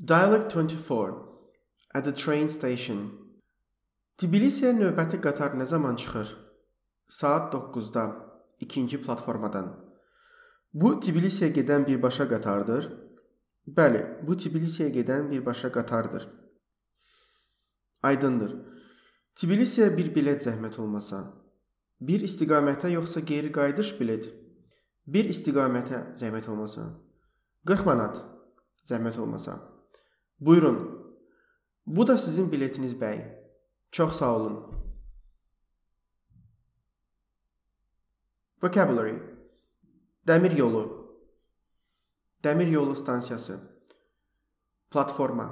Dialogue 24. At the train station. Tbilisiyə növbəti qatar nə zaman çıxır? Saat 9-da, ikinci platformadan. Bu Tbilisiyə gedən birbaşa qatardır. Bəli, bu Tbilisiyə gedən birbaşa qatardır. Aydındır. Tbilisiyə bir bilet zəhmət olmasa. Bir istiqamətə yoxsa geri qayıdış bilet? Bir istiqamətə zəhmət olmasa. 40 manat zəhmət olmasa. Buyurun. Bu da sizin biletiniz bəy. Çox sağ olun. Vocabulary. Dəmir yolu. Dəmir yolu stansiyası. Platforma.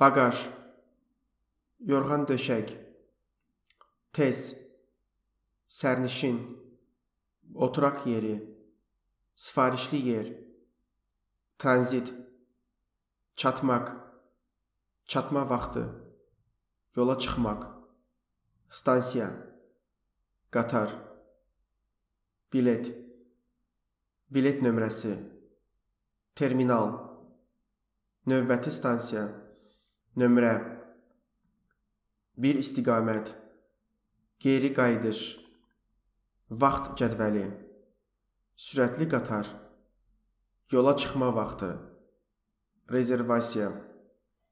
Bagaj. Yorğan döşək. Tez. Sərnişin. Oturaq yeri. Sifarişli yer. Tranzit. Çatmaq. Çatma vaxtı. Yola çıxmaq. Stansiya. Qatar. Bilet. Bilet nömrəsi. Terminal. Növbəti stansiya. Nömrə. Bir istiqamət. Geri qayıdış. Vaxt cədvəli. Sürətli qatar. Yola çıxma vaxtı. Rezervasiya.